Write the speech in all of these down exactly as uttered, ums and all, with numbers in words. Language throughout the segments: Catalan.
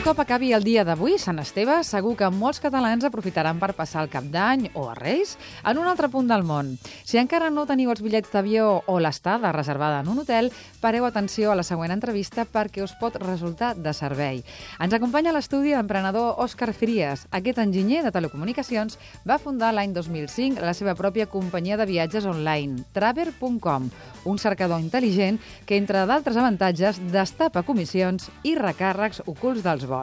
cop acabi el dia d'avui, Sant Esteve, segur que molts catalans aprofitaran per passar el Cap d'Any o a Reis en un altre punt del món. Si encara no teniu els bitllets d'avió o l'estada reservada en un hotel, pareu atenció a la següent entrevista perquè us pot resultar de servei. Ens acompanya a l'estudi l'emprenedor Òscar Frías. Aquest enginyer de telecomunicacions va fundar l'any dos mil cinc la seva pròpia companyia de viatges online, traver punt com, un cercador intel·ligent que, entre d'altres avantatges, destapa comissions i recàrrecs ocults dels vols.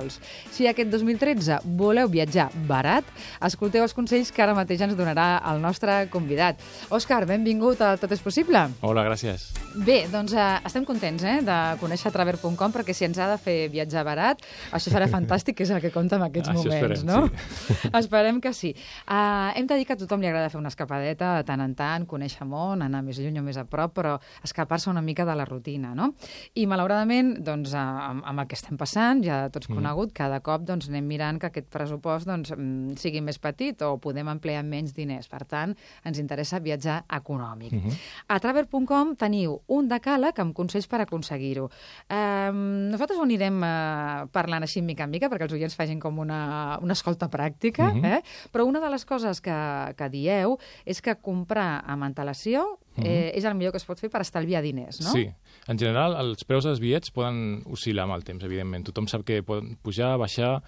Si aquest dos mil tretze voleu viatjar barat, escolteu els consells que ara mateix ens donarà el nostre convidat. Òscar, benvingut a Tot és possible. Hola, gràcies. Bé, doncs eh, estem contents eh, de conèixer traver punt com perquè si ens ha de fer viatjar barat, això serà fantàstic, que és el que compta en aquests això moments, esperem, no? Sí. Esperem que sí. Uh, hem de dir que a tothom li agrada fer una escapadeta de tant en tant, conèixer món, anar més lluny o més a prop, però escapar-se una mica de la rutina, no? I malauradament, doncs, amb, amb el que estem passant, ja tots mm. conegut, cada cop doncs, anem mirant que aquest pressupost doncs, sigui més petit o podem emplear menys diners. Per tant, ens interessa viatjar econòmic. Mm -hmm. A traver punt com teniu un decàleg amb consells per aconseguir-ho. Eh, nosaltres ho anirem eh, parlant així mica en mica perquè els oients facin com una, una escolta pràctica, mm -hmm. eh? Però una de les coses que, que dieu és que comprar amb antelació eh, mm-hmm. és el millor que es pot fer per estalviar diners, no? Sí. En general, els preus dels bitllets poden oscil·lar amb el temps, evidentment. Tothom sap que poden pujar, baixar,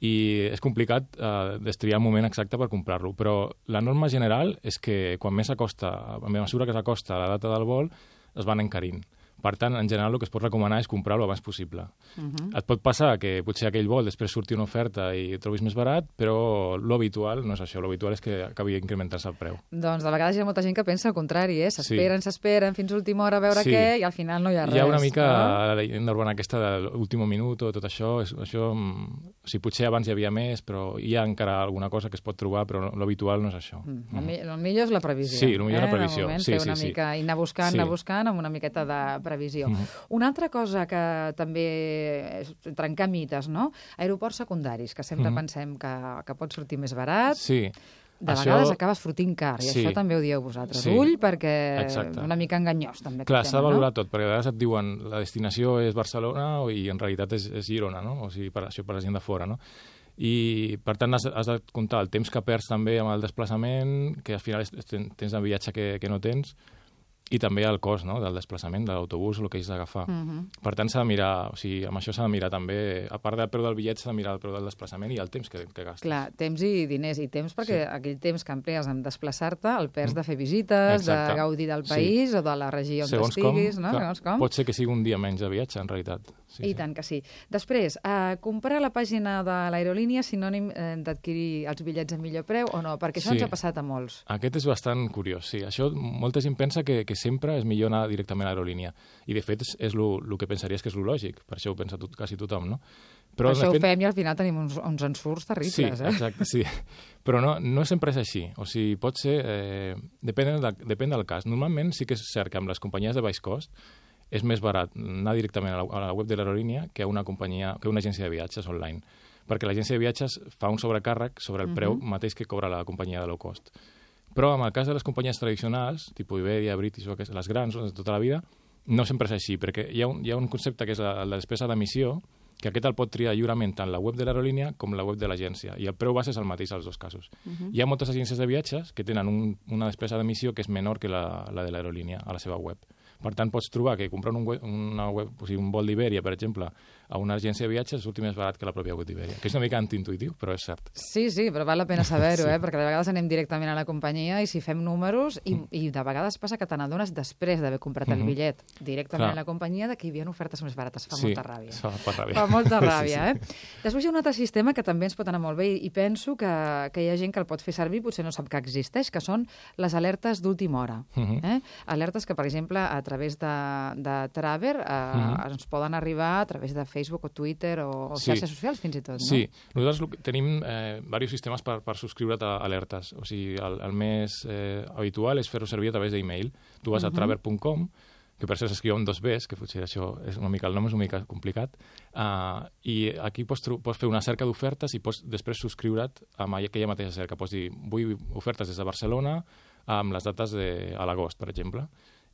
i és complicat eh, destriar el moment exacte per comprar-lo, però la norma general és que quan més s'acosta, a mesura que s'acosta a la data del vol, es van encarint. Per tant, en general, el que es pot recomanar és comprar-lo abans possible. Uh-huh. Et pot passar que potser aquell vol després surti una oferta i el trobis més barat, però l'habitual no és això. L'habitual és que acabi incrementant-se el preu. Doncs de vegades hi ha molta gent que pensa el contrari, eh? S'esperen, sí. s'esperen fins a última hora a veure sí. què i al final no hi ha res. Hi ha una mica no? la leyenda urbana aquesta de l'últim minut o tot això. És, això o sigui, potser abans hi havia més, però hi ha encara alguna cosa que es pot trobar, però l'habitual no és això. Mm. Mm. El millor és la previsió. Sí, el millor és eh? la previsió. Moment, sí, fer sí, una sí. mica, i anar buscant, sí. anar buscant amb una miqueta de previsió. Mm-hmm. Una altra cosa que també és trencar mites, no? Aeroports secundaris, que sempre mm-hmm. pensem que, que pot sortir més barat. Sí. De això... vegades acabes fotent car, i sí. això també ho dieu vosaltres. Sí. Ull, perquè Exacte. una mica enganyós, també. Clar, s'ha de tema, valorar no? tot, perquè a vegades et diuen la destinació és Barcelona i en realitat és, és Girona, no? O sigui, per això per la gent de fora, no? I, per tant, has, has de comptar el temps que perds també amb el desplaçament, que al final és, tens de viatge que, que no tens, i també el cost, no?, del desplaçament, de l'autobús o el que hagis d'agafar. Uh-huh. Per tant, s'ha de mirar, o sigui, amb això s'ha de mirar també, a part del preu del bitllet, s'ha de mirar el preu del desplaçament i el temps que, que gastes. Clar, temps i diners, i temps perquè sí. aquell temps que emplees en desplaçar-te el perds de fer visites, Exacte. de gaudir del país sí. o de la regió on Segons estiguis, com, no? Clar, Segons com. Pot ser que sigui un dia menys de viatge, en realitat. Sí, I sí. tant que sí. Després, eh, comprar a la pàgina de l'aerolínia sinònim eh, d'adquirir els bitllets a millor preu o no? Perquè això sí. ens ha passat a molts. Aquest és bastant curiós, sí. Això, molta gent pensa que, que sempre és millor anar directament a l'aerolínia. I, de fet, és, és el que pensaries que és lo lògic. Per això ho pensa tot, quasi tothom, no? Però, per això fet... ho fem i al final tenim uns, uns ensurts terribles, sí, eh? Sí, exacte, sí. Però no, no sempre és així. O sigui, pot ser... Eh, depèn, de, depèn del cas. Normalment sí que és cert que amb les companyies de baix cost és més barat anar directament a la, a la web de l'aerolínia que una companyia, que una agència de viatges online. Perquè l'agència de viatges fa un sobrecàrrec sobre el preu uh-huh. mateix que cobra la companyia de low cost. Però en el cas de les companyies tradicionals, tipus Iberia, British, les grans, de tota la vida, no sempre és així, perquè hi ha un, hi ha un concepte que és la, la despesa d'emissió, que aquest el pot triar lliurement tant la web de l'aerolínia com la web de l'agència, i el preu base és el mateix als dos casos. Uh-huh. Hi ha moltes agències de viatges que tenen un, una despesa d'emissió que és menor que la, la de l'aerolínia a la seva web. Per tant, pots trobar que comprant un, web, una web, o sigui, un vol d'Iberia, per exemple, a una agència de viatges surti més barat que la pròpia web d'Iberia, que és una mica antiintuïtiu, però és cert. Sí, sí, però val la pena saber-ho, sí. eh? Perquè de vegades anem directament a la companyia i si fem números, i, i de vegades passa que te n'adones després d'haver comprat el bitllet directament Clar. a la companyia de que hi havia ofertes més barates. Fa sí, molta ràbia. Fa, fa ràbia. Fa molta ràbia, sí, sí. eh? Després hi ha un altre sistema que també ens pot anar molt bé i penso que, que hi ha gent que el pot fer servir, potser no sap que existeix, que són les alertes d'última hora. Uh-huh. eh? Alertes que, per exemple, a través de de Traver eh, uh-huh. ens poden arribar a través de Facebook o Twitter o, o sí. xarxes socials fins i tot, no? Sí, nosaltres tenim eh, diversos sistemes per, per subscriure't a alertes. O sigui, el, el més eh, habitual és fer-ho servir a través d'email. Tu vas uh-huh. a traver punt com, que per això s'escriu amb dos Bs, que potser això és una mica, el nom és una mica complicat, uh, i aquí pots, pots fer una cerca d'ofertes i pots després subscriure't amb aquella mateixa cerca. Pots dir, vull ofertes des de Barcelona amb les dates de, a l'agost, per exemple.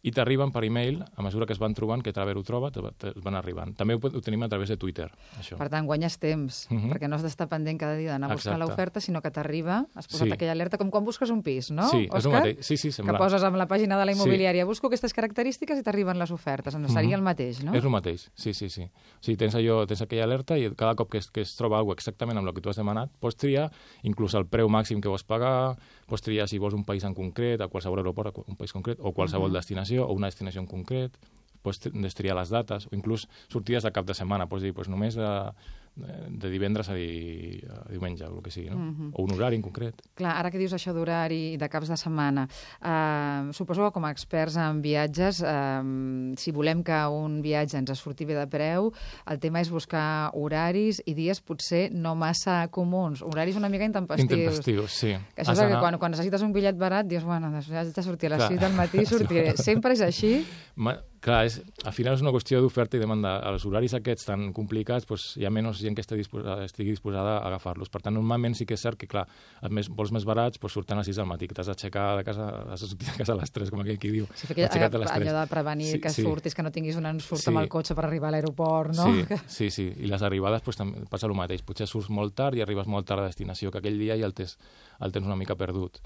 i t'arriben per e-mail, a mesura que es van trobant, que Traver ho troba, te, te van arribant. També ho, ho tenim a través de Twitter, això. Per tant, guanyes temps, uh -huh. perquè no has d'estar pendent cada dia d'anar a buscar l'oferta, sinó que t'arriba, has posat sí. aquella alerta, com quan busques un pis, no, sí, Òscar? És el mateix. Sí, sí, semblant. Que poses amb la pàgina de la immobiliària, sí. busco aquestes característiques i t'arriben les ofertes. Doncs seria uh -huh. el mateix, no? És el mateix, sí, sí, sí. Sí, tens, allò, tens aquella alerta i cada cop que es, que es troba alguna cosa exactament amb el que tu has demanat, pots triar inclús el preu màxim que vols pagar, pots triar si vols un país en concret, a qualsevol aeroport, un país concret, o qualsevol uh -huh. destinació, o una destinació en concret, pots triar les dates, o inclús sortides de cap de setmana, pots dir, doncs només de, de divendres a, di, a diumenge, o el que sigui, no? Uh -huh. O un horari en concret. Clar, ara que dius això d'horari i de caps de setmana, eh, suposo que com a experts en viatges, eh, si volem que un viatge ens surti bé de preu, el tema és buscar horaris i dies potser no massa comuns, horaris una mica intempestius. Intempestius, sí. Que això és anar... que quan, quan necessites un bitllet barat dius, bueno, doncs has de sortir a les sis del matí, sortiré. Sempre és així? Ma... Clar, és, al final és una qüestió d'oferta i demanda. Els horaris aquests tan complicats, doncs, hi ha menys gent que estigui disposada, estigui disposada a agafar-los. Per tant, normalment sí que és cert que, clar, els més, vols més barats doncs, surten a les sis del matí, que t'has d'aixecar de casa, has de sortir de casa a les tres, com aquell qui diu. Sí, que, allò de prevenir sí, que sí. surtis, que no tinguis un ensurt sí. amb el cotxe per arribar a l'aeroport, no? Sí, sí, sí. I les arribades doncs, també passa el mateix. Potser surts molt tard i arribes molt tard a destinació, que aquell dia ja el tens, el tens una mica perdut.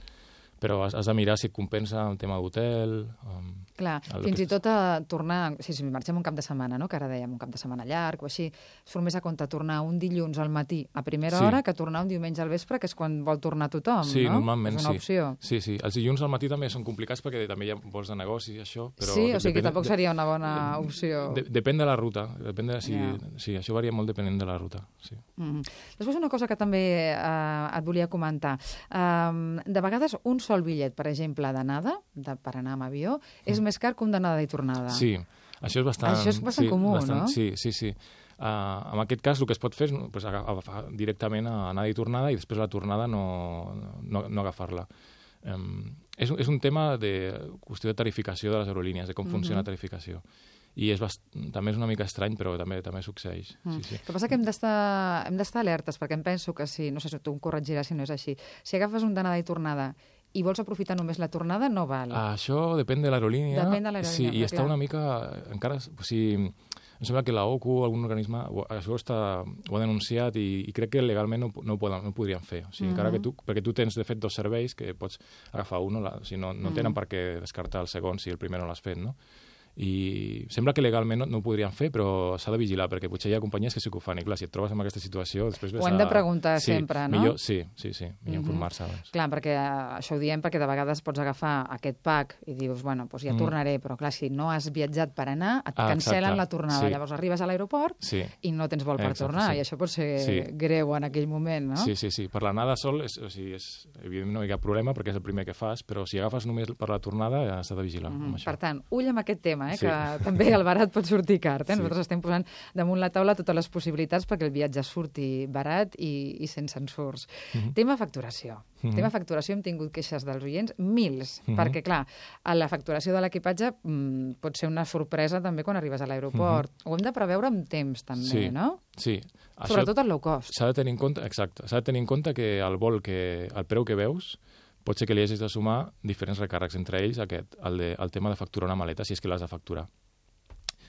Però has, has de mirar si et compensa el tema d'hotel... Um, Clar, fins i tot a tornar... Si, si marxem un cap de setmana, no?, que ara dèiem un cap de setmana llarg o així, surt més a compte tornar un dilluns al matí a primera sí. hora que tornar un diumenge al vespre, que és quan vol tornar tothom, sí, no? Normalment, és una sí. opció. Sí, sí. Els dilluns al matí també són complicats perquè també hi ha vols de negoci i això, però... Sí, o sigui que tampoc seria una bona de, opció. De, depèn de la ruta. Depèn de si, yeah. Sí, això varia molt depenent de la ruta, sí. Mm-hmm. Després una cosa que també eh, et volia comentar. Eh, de vegades un sol bitllet, per exemple, d'anada, de, per anar amb avió, és mm. més car que un d'anada i tornada. Sí, això és bastant... Això és bastant sí, comú, bastant, no? Sí, sí, sí. Uh, en aquest cas el que es pot fer és pues, agafar directament a anada i tornada i després a la tornada no, no, no agafar-la. Um, és, és un tema de qüestió de tarificació de les aerolínies, de com mm-hmm. funciona la tarificació. I és bast... també és una mica estrany, però també també succeeix. Mm. Sí, sí. El que passa que hem d'estar hem d'estar alertes, perquè em penso que si, no sé si tu em corregiràs si no és així, si agafes un d'anada i tornada i vols aprofitar només la tornada, no val. Ah, això depèn de l'aerolínia. Depèn de l'aerolínia. Sí, i està clar. Una mica... encara, o sigui, em sembla que la O C U, algun organisme, això està, ho ha denunciat i, i crec que legalment no, no, ho, poden, no ho podrien fer. O sigui, mm-hmm. encara que tu, perquè tu tens, de fet, dos serveis que pots agafar un, o si no, no tenen mm-hmm. per què descartar el segon si el primer no l'has fet, no? I sembla que legalment no, no ho podrien fer, però s'ha de vigilar, perquè potser hi ha companyies que sí que ho fan, i clar, si et trobes en aquesta situació... Després ho hem de preguntar sí, sempre, no? Millor, sí, sí, sí, millor mm-hmm. informar-se abans. Clar, perquè això ho diem perquè de vegades pots agafar aquest pack i dius, bueno, doncs ja mm. tornaré, però clar, si no has viatjat per anar, et ah, cancel·len exacte. la tornada. Sí. Llavors arribes a l'aeroport sí. i no tens vol per exacte, tornar, sí. i això pot ser sí. greu en aquell moment, no? Sí, sí, sí. Per l'anada sol, és, o sigui, és, evidentment no hi ha problema perquè és el primer que fas, però si agafes només per la tornada ja has de vigilar mm-hmm. amb això. Per tant, ull amb aquest tema, eh, sí. que també el barat pot sortir car. Eh? Sí. Nosaltres estem posant damunt la taula totes les possibilitats perquè el viatge surti barat i, i sense ensurts. Mm-hmm. Tema facturació. Mm-hmm. Tema facturació, hem tingut queixes dels oients, mils, mm-hmm. perquè, clar, a la facturació de l'equipatge mmm, pot ser una sorpresa també quan arribes a l'aeroport. Mm-hmm. Ho hem de preveure amb temps, també, sí. no? Sí. Sobretot el low cost. S'ha de tenir en compte, exacte, s'ha de tenir en compte que el vol, que el preu que veus, pot ser que li hagis de sumar diferents recàrrecs, entre ells aquest, el, de, el tema de facturar una maleta, si és que l'has de facturar.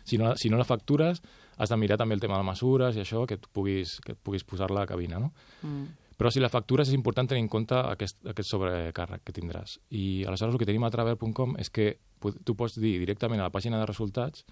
Si no, si no la factures, has de mirar també el tema de mesures i això, que et puguis, que et puguis posar-la a la cabina, no? Mm. Però si la factures és important tenir en compte aquest, aquest sobrecàrrec que tindràs. I aleshores el que tenim a travel punt com és que tu pots dir directament a la pàgina de resultats,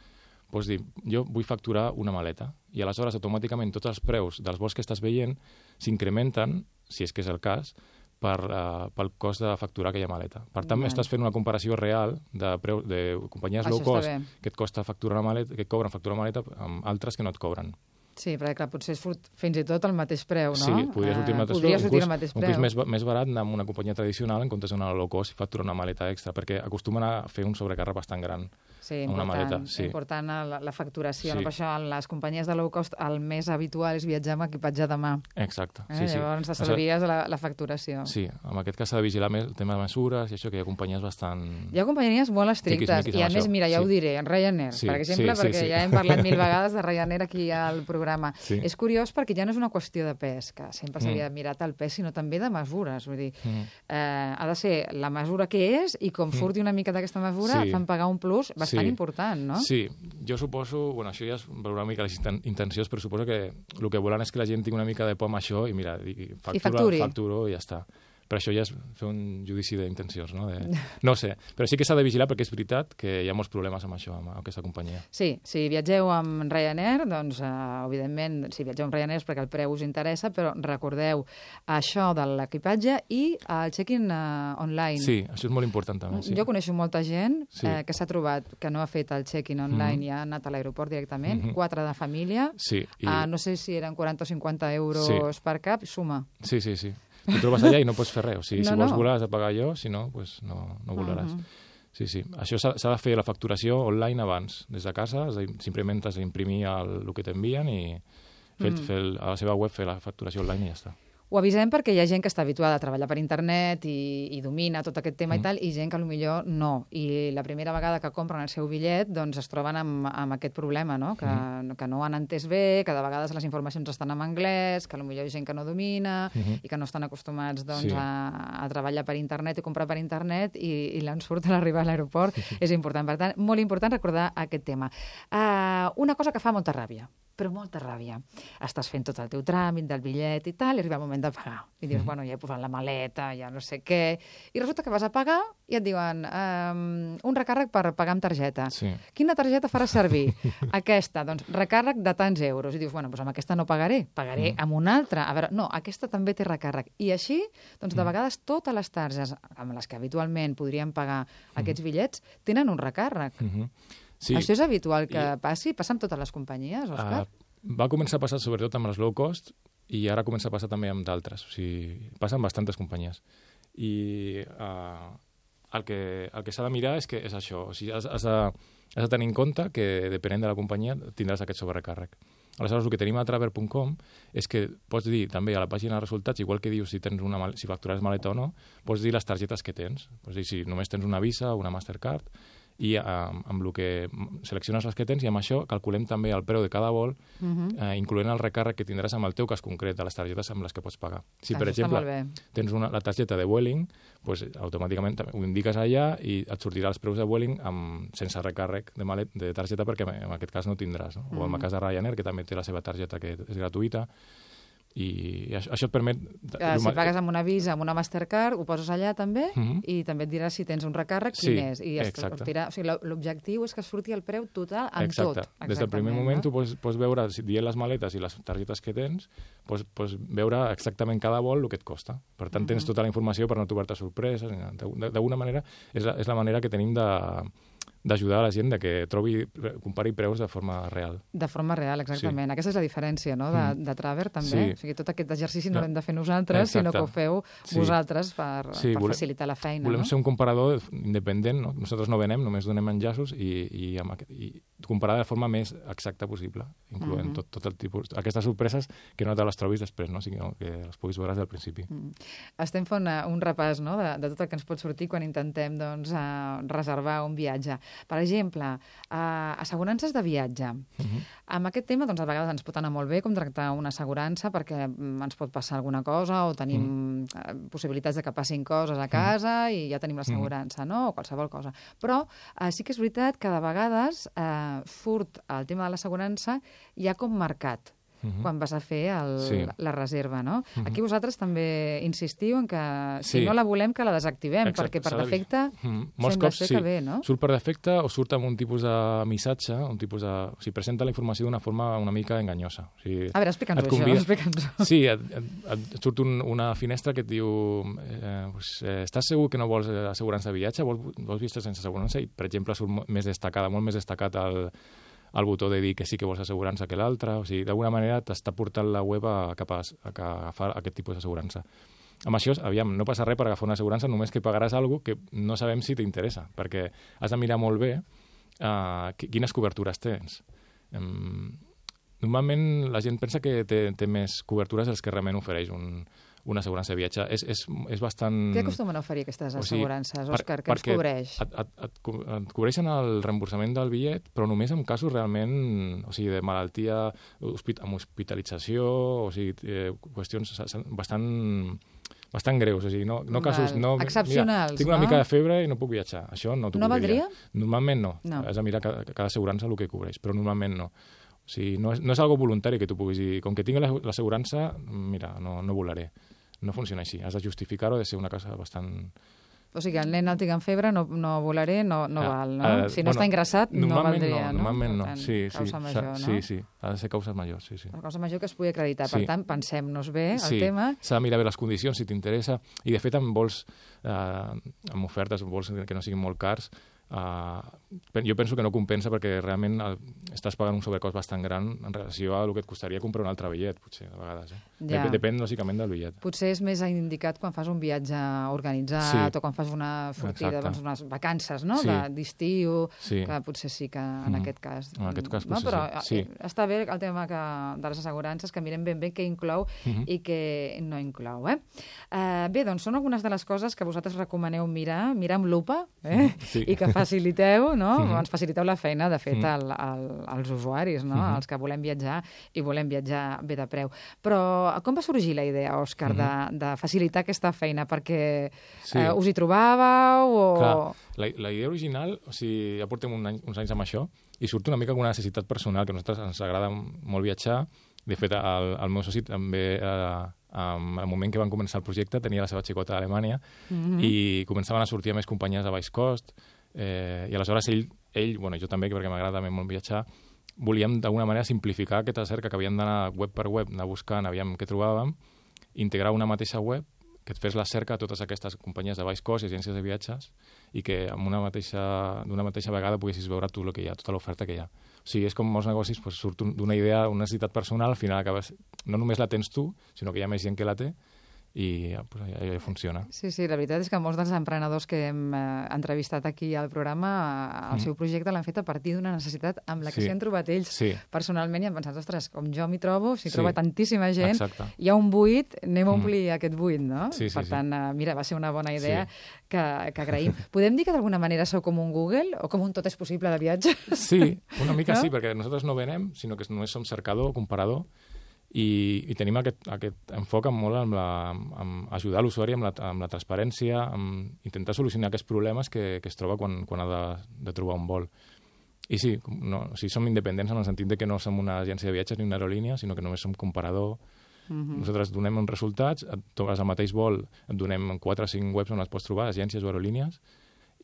pots dir, jo vull facturar una maleta, i aleshores automàticament tots els preus dels vols que estàs veient s'incrementen, si és que és el cas, per, uh, pel cost de facturar aquella maleta. Per tant, vale. Estàs fent una comparació real de, preu, de companyies Això low cost que et costa facturar una maleta, que et cobren facturar una maleta amb altres que no et cobren. Sí, perquè clar, potser surt fins i tot el mateix preu, no? Sí, podria sortir el mateix uh, preu. Sortir el mateix preu. Un curs més, més barat anar amb una companyia tradicional en comptes d'una low cost i facturar una maleta extra, perquè acostumen a fer un sobrecàrrec bastant gran. Sí, amb una important, maleta. Sí. important la, la facturació. Sí. No? Per això en les companyies de low cost el més habitual és viatjar amb equipatge de mà. Exacte. Eh? Sí, sí. Llavors t'estalvies la, la facturació. Sí, en aquest cas s'ha de vigilar més el tema de mesures i això, que hi ha companyies bastant... Hi ha companyies molt estrictes tiquis-miquis i a amb més, això. mira, ja Sí. ho diré, en Ryanair, Sí, per exemple, sí, sí, perquè sí. ja hem parlat mil vegades de Ryanair aquí al programa. Sí. És curiós perquè ja no és una qüestió de pes, que sempre s'havia Mm. mirat el pes, sinó també de mesures. Vull dir, Mm. eh, ha de ser la mesura que és i com surti una mica d'aquesta mesura Sí. fan pagar un plus bastant Sí. important, no? Sí, jo suposo, bueno, això ja és veure una mica les inten- intencions, però suposo que el que volen és que la gent tingui una mica de por amb això i mira, i factura, I facturi. facturo i ja està. Però això ja és fer un judici d'intencions, no? De... No sé, però sí que s'ha de vigilar perquè és veritat que hi ha molts problemes amb això, amb aquesta companyia. Sí, si viatgeu amb Ryanair, doncs, eh, evidentment, si viatgeu amb Ryanair és perquè el preu us interessa, però recordeu això de l'equipatge i el check-in eh, online. Sí, això és molt important també. Sí. Jo coneixo molta gent Sí. eh, que s'ha trobat que no ha fet el check-in online Mhm. i ha anat a l'aeroport directament, Mhm. quatre de família, Sí, i... eh, no sé si eren quaranta o cinquanta euros Sí. per cap, suma. sí, sí, sí. Tu trobes allà i no pots fer res. O sigui, No, si vols no. volar has de pagar jo, si no, pues no, no volaràs. Mhm. Sí, sí. Això s'ha s'ha de fer la facturació online abans, des de casa, has de- simplement has d'imprimir el, el que t'envien i fer, Mm. fer el, a la seva web fer la facturació online i ja està. Ho avisem perquè hi ha gent que està habituada a treballar per internet i, i domina tot aquest tema Mm. i tal, i gent que potser no. I la primera vegada que compren el seu bitllet doncs es troben amb, amb aquest problema, no? Que, Mm. que no han entès bé, que de vegades les informacions estan en anglès, que potser hi ha gent que no domina Mhm. i que no estan acostumats doncs, Sí. a, a treballar per internet i comprar per internet i, i l'ensurt a l'arribar a l'aeroport és important. Per tant, molt important recordar aquest tema. Uh, una cosa que fa molta ràbia, però molta ràbia. Estàs fent tot el teu tràmit del bitllet i tal, i arriba el moment de pagar. I dius, Mhm. bueno, ja he posat la maleta, ja no sé què... I resulta que vas a pagar i et diuen um, un recàrrec per pagar amb targeta. Sí. Quina targeta faràs servir? Aquesta, doncs, recàrrec de tants euros. I dius, bueno, doncs amb aquesta no pagaré, pagaré Mm. amb una altra. A veure, no, aquesta també té recàrrec. I així, doncs, de Mm. vegades totes les targes amb les que habitualment podríem pagar aquests bitllets tenen un recàrrec. Mhm. Sí. Això és habitual que I- passi? Passa amb totes les companyies, Òscar? Uh, va començar a passar sobretot amb les low cost i ara comença a passar també amb d'altres. O sigui, passa amb bastantes companyies. I uh, el que, el que s'ha de mirar és que és això. O sigui, has, has, de, has de tenir en compte que, depenent de la companyia, tindràs aquest sobrecàrrec. Aleshores, el que tenim a traver punt com és que pots dir també a la pàgina de resultats, igual que dius si tens una mal si factures maleta o no, pots dir les targetes que tens. Pots dir si només tens una Visa o una Mastercard i eh, amb el que selecciones les que tens i amb això calculem també el preu de cada vol, Uh -huh. eh, incloent el recàrrec que tindràs amb el teu cas concret de les targetes amb les que pots pagar. Si, Això per està exemple, molt bé. tens una, la targeta de Vueling, pues, automàticament ho indiques allà i et sortirà els preus de Vueling amb, sense recàrrec de, malet, de targeta perquè en aquest cas no tindràs. No? O en el cas de Ryanair, que també té la seva targeta que és gratuïta, i això, això et permet... Uh, si pagues amb una Visa, amb una Mastercard, ho poses allà també, Mhm. i també et dirà si tens un recàrrec, Sí, quin és. I es exacte. sortirà, o sigui, lo- l'objectiu és que surti el preu total amb Exacte. tot. Des del primer Exactament, moment no? tu pots, pots veure, si dient les maletes i les targetes que tens, pots, pots veure exactament cada vol el que et costa. Per tant, tens Mhm. tota la informació per no trobar-te sorpreses. ni nada. De- D'alguna manera, és la, és la manera que tenim de d'ajudar a la gent de que trobi, compari preus de forma real. De forma real, exactament. Sí. Aquesta és la diferència, no?, de, Mm. de Traver, també. Sí. O sigui, tot aquest exercici no No. l'hem de fer nosaltres, Exacte. sinó que ho feu Sí. vosaltres per, Sí, per volem- facilitar la feina, Volem no? ser un comparador independent, no? Nosaltres no venem, només donem enllaços i, i, amb, aquest- i comparar de forma més exacta possible, incloent Mhm. tot, tot el tipus... Aquestes sorpreses que no te les trobis després, no? Sinó que les puguis veure des del principi. Mm. Estem fent una, un repàs, no?, de, de tot el que ens pot sortir quan intentem, doncs, uh, reservar un viatge. Per exemple, uh, assegurances de viatge. Mhm. Amb aquest tema, doncs, a vegades ens pot anar molt bé contractar una assegurança perquè mm, ens pot passar alguna cosa o tenim mm. possibilitats de que passin coses a casa mm. i ja tenim l'assegurança, no?, o qualsevol cosa. Però uh, sí que és veritat que de vegades uh, surt el tema de l'assegurança ja com marcat Mhm. quan vas a fer el, Sí. la reserva, no? Mhm. Aquí vosaltres també insistiu en que si Sí. no la volem que la desactivem, Exacte, perquè per s'ha de- defecte Mm. Molts sembla cops ser sí. que bé, no? Surt per defecte o surt amb un tipus de missatge, un tipus de... O sigui, presenta la informació d'una forma una mica enganyosa. O sigui, A veure, explica'ns-ho, et això, convida- explica'ns-ho. Sí, et, et, et surt un, una finestra que et diu eh, pues, eh, estàs segur que no vols eh, assegurança de viatge? Vols, vols viatge sense assegurança? I, per exemple, surt mo- més destacada, molt més destacat el, el botó de dir que sí que vols assegurança que l'altre. O sigui, d'alguna manera t'està portant la web a, cap a, a, a agafar aquest tipus d'assegurança. Amb això, aviam, no passa res per agafar una assegurança, només que pagaràs alguna que no sabem si t'interessa, perquè has de mirar molt bé uh, quines cobertures tens. Um, normalment la gent pensa que té, té més cobertures dels que realment ofereix un, una assegurança de viatge. És, és, és bastant... Què acostumen a oferir aquestes assegurances, o sigui, Òscar? Què ens cobreix? Et, et, et, et cobreixen el reemborsament del bitllet, però només en casos realment, o sigui, de malaltia, hospit amb hospitalització, o sigui, eh, qüestions bastant, bastant greus. O sigui, no, no casos... No, excepcionals, mira, tinc una no? mica de febre i no puc viatjar. Això no t'ho no cobriria. valdria? Normalment no. no. Has de mirar cada, cada assegurança el que cobreix, però normalment no. O sigui, no és, no és algo voluntari que tu puguis dir, com que tinc l'assegurança, mira, no, no volaré. No funciona així. Has de justificar-ho, ha de ser una cosa bastant... O sigui, el nen el tinc en febre, no, no volaré, no, no ah, val, no? Uh, si no bueno, està ingressat, no valdria, no? Normalment no, tant, sí, sí. Causa major, no? Sí, sí, ha de ser causa major, sí, sí. La causa major que es pugui acreditar. Sí. Per tant, pensem-nos bé el sí. tema. S'ha de mirar bé les condicions, si t'interessa. I, de fet, amb vols, eh, amb ofertes, vols que no siguin molt cars, Uh, jo penso que no compensa perquè realment el, estàs pagant un sobrecost bastant gran en relació a el que et costaria comprar un altre bitllet, potser, a vegades. Eh? Ja. Dep Depèn, lògicament, del bitllet. Potser és més indicat quan fas un viatge organitzat sí. o quan fas una sortida, doncs, unes vacances, no? Sí. d'estiu, sí. que potser sí que en mm. aquest cas... En aquest cas no? potser Però sí. sí. està bé el tema que, de les assegurances, que mirem ben bé què inclou mm -hmm. i què no inclou. Eh? Uh, bé, doncs són algunes de les coses que vosaltres recomaneu mirar, mirar amb lupa, eh? sí. i que faciliteu, no? Mm -hmm. Ens faciliteu la feina, de fet, mm -hmm. al, al, als usuaris, no? Mm -hmm. Els que volem viatjar i volem viatjar bé de preu. Però com va sorgir la idea, Òscar, mm -hmm. de, de facilitar aquesta feina? Perquè sí. eh, us hi trobàveu o... Clar, la, la idea original, o sigui, ja portem un any, uns anys amb això, i surt una mica com una necessitat personal, que a nosaltres ens agrada molt viatjar. De fet, el, el meu soci també... Eh, Um, al moment que van començar el projecte tenia la seva xicota a Alemanya mm -hmm. i començaven a sortir més companyies a baix cost eh, i aleshores ell, ell bueno, jo també, perquè m'agrada també molt viatjar, volíem d'alguna manera simplificar aquesta cerca que havíem d'anar web per web, anar buscant, aviam què trobàvem, integrar una mateixa web que et fes la cerca a totes aquestes companyies de baix cost i agències de viatges i que amb una mateixa, d'una mateixa vegada poguessis veure tot el que hi ha, tota l'oferta que hi ha. O sigui, és com molts negocis, doncs, surt d'una idea, una necessitat personal, al final acabes, no només la tens tu, sinó que hi ha més gent que la té i pues, ja, ja funciona. Sí, sí, la veritat és que molts dels emprenedors que hem eh, entrevistat aquí al programa, el mm. seu projecte l'han fet a partir d'una necessitat amb la que s'hi sí. han trobat ells sí. personalment i han pensat, ostres, com jo m'hi trobo, s'hi sí. troba tantíssima gent, exacte. hi ha un buit, anem a omplir mm. aquest buit, no? Sí, sí, per tant, sí. eh, mira, va ser una bona idea sí. que, que agraïm. Podem dir que d'alguna manera sou com un Google o com un tot és possible de viatge? Sí, una mica no? sí, perquè nosaltres no venem, sinó que només som cercador, comparador, I, i tenim aquest, aquest enfoc molt amb, la, amb ajudar l'usuari amb, la, amb la transparència, amb intentar solucionar aquests problemes que, que es troba quan, quan ha de, de trobar un vol. I sí, no, o sigui, som independents en el sentit de que no som una agència de viatges ni una aerolínia, sinó que només som comparador. Mm-hmm. Nosaltres donem uns resultats, et trobes el mateix vol, et donem quatre o cinc webs on les pots trobar, agències o aerolínies,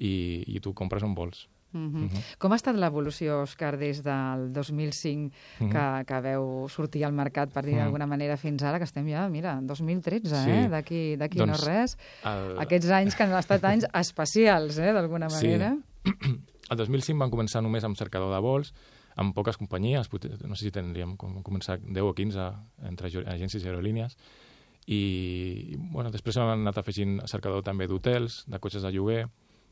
i, i tu compres on vols. Mm-hmm. Mm-hmm. Com ha estat l'evolució, Òscar, des del dos mil cinc mm-hmm. que, que veu sortir al mercat, per dir d'alguna mm-hmm. manera, fins ara, que estem ja, mira, dos mil tretze, sí. eh? D'aquí d'aquí doncs, no res. El... Aquests anys que han estat anys especials, eh? D'alguna manera. Sí. El dos mil cinc van començar només amb cercador de vols, amb poques companyies, no sé si tindríem començat deu o quinze entre agències i aerolínies, i bueno, després han anat afegint cercador també d'hotels, de cotxes de lloguer,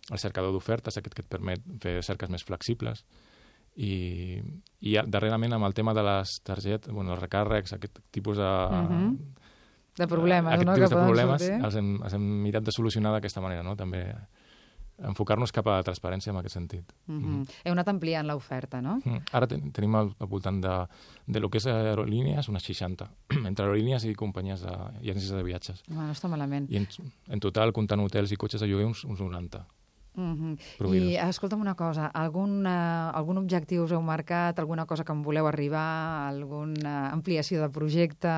el cercador d'ofertes, aquest que et permet fer cerques més flexibles, i, i darrerament amb el tema de les targetes, bueno, els recàrrecs, aquest tipus de... Uh-huh. De problemes, aquest no? tipus Que de problemes sortir. els hem, els hem mirat de solucionar d'aquesta manera, no? També enfocar-nos cap a la transparència en aquest sentit. Uh-huh. Mm-hmm. Heu anat ampliant l'oferta, no? Mm. Ara ten, tenim al, al voltant de, de lo que és aerolínies, unes seixanta, entre aerolínies i companyies de, i agències de viatges. No, no està malament. I en, en total, comptant hotels i cotxes de lloguer, uns, uns noranta. Uh-huh. I escolta'm una cosa, algun, uh, algun objectiu us heu marcat, alguna cosa que en voleu arribar, alguna ampliació de projecte,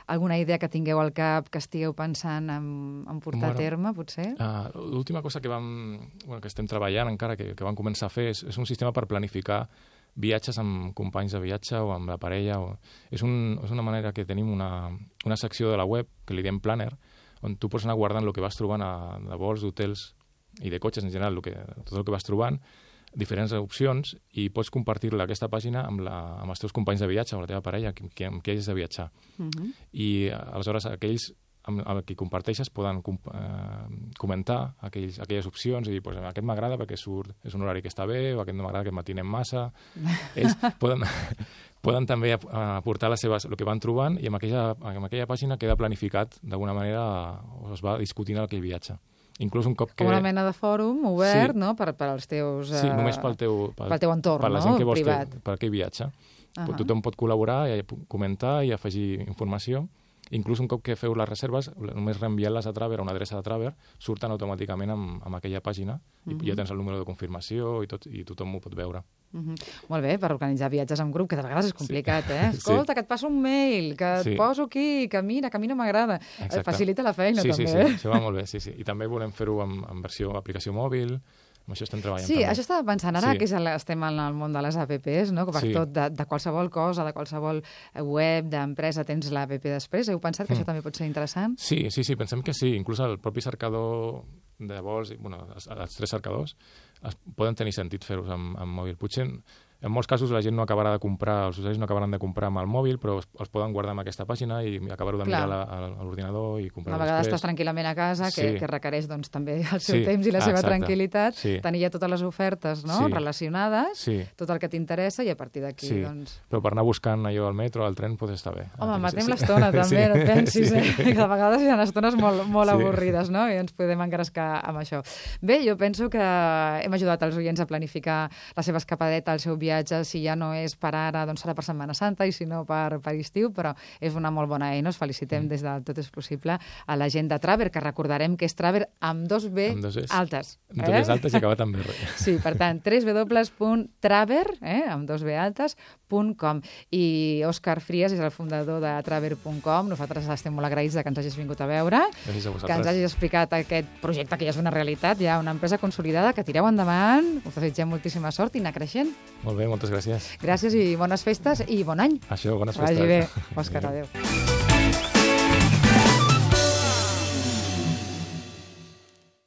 alguna idea que tingueu al cap que estigueu pensant en, en portar bueno, a terme, potser? Uh, L'última cosa que, vam, bueno, que estem treballant encara, que, que vam començar a fer, és, és un sistema per planificar viatges amb companys de viatge o amb la parella. O... És, un, és una manera que tenim una, una secció de la web, que li diem Planner, on tu pots anar guardant el que vas trobant a, de vols, d'hotels i de cotxes en general, el que, tot el que vas trobant, diferents opcions, i pots compartir-la aquesta pàgina amb, la, amb els teus companys de viatge, amb la teva parella, amb qui, amb qui hagis de viatjar. Uh-huh. I aleshores aquells, amb el que comparteixes poden com, eh, comentar aquells, aquelles opcions i dir, pues, aquest m'agrada perquè surt, és un horari que està bé, o aquest no m'agrada, que matinem massa. Ells poden, poden també aportar les seves, el que van trobant, i amb aquella, amb aquella pàgina queda planificat d'alguna manera, o es va discutint aquell viatge. Inclús un cop que... Com una mena de fòrum obert, sí. no?, per, per als teus... Sí, uh, només pel teu, pel, pel teu entorn, per la no?, gent que vols privat. Que, per aquell viatge. Uh -huh. Tothom pot col·laborar, i comentar i afegir informació. Inclús un cop que feu les reserves, només reenviant-les a Traver, a una adreça de Traver, surten automàticament amb, amb aquella pàgina, i uh -huh. ja tens el número de confirmació i, tot, i tothom ho pot veure. Uh -huh. Molt bé, per organitzar viatges en grup, que de vegades és complicat, sí. eh? Escolta, sí. que et passo un mail, que et sí. poso aquí, que mira, que a mi no m'agrada. Et facilita la feina, sí, també. Sí, sí, sí, això va molt bé, sí, sí. I també volem fer-ho en, en versió aplicació mòbil, amb això estem treballant sí, també. Sí, això estava pensant ara, sí. que és el, estem en el món de les apps, no? Que per sí. tot, de, de qualsevol cosa, de qualsevol web, d'empresa, tens l'app després. Heu pensat que mm. això també pot ser interessant? Sí, sí, sí, pensem que sí. Inclús el propi cercador de vols, bueno, els, els tres cercadors, es, poden tenir sentit fer-los amb, amb mòbil. Potser en molts casos la gent no acabarà de comprar, els usuaris no acabaran de comprar amb el mòbil, però els, els poden guardar amb aquesta pàgina i acabar-ho de mirar a, a l'ordinador i comprar-ho després. A vegades estàs tranquil·lament a casa, que, sí. que requereix doncs, també el seu sí. temps i la ah, seva exacte. tranquil·litat, sí. tenir ja totes les ofertes no? sí. relacionades, sí. tot el que t'interessa, i a partir d'aquí... Sí. Doncs... Però per anar buscant allò al metro, al tren, pot estar bé. Home, ah, matem sí. l'estona també, sí. no et pensis, sí. eh? que de vegades hi ha estones molt, molt sí. avorrides, no? I ens podem engrescar amb això. Bé, jo penso que hem ajudat els oients a planificar la seva escapadeta, el seu viatge, si ja no és per ara, doncs serà per Setmana Santa, i si no per, per estiu, però és una molt bona eina. Us felicitem mm. des de Tot és Possible a la gent de Traver, que recordarem que és Traver amb dos B amb dos altes. Amb dos Bs altes i acabat amb R. Sí, per tant, w w w punt traver, eh, amb dos B altes, punt com. I Òscar Fries és el fundador de traver punt com. Nosaltres estem molt agraïts que ens hagis vingut a veure, gràcies a vosaltres, que ens hagis explicat aquest projecte que ja és una realitat, ja una empresa consolidada, que tireu endavant, us desitgem moltíssima sort i anar creixent. Molt bé, moltes gràcies. Gràcies i bones festes i bon any. Això, bones Vagi festes. bé. Òscar, adéu.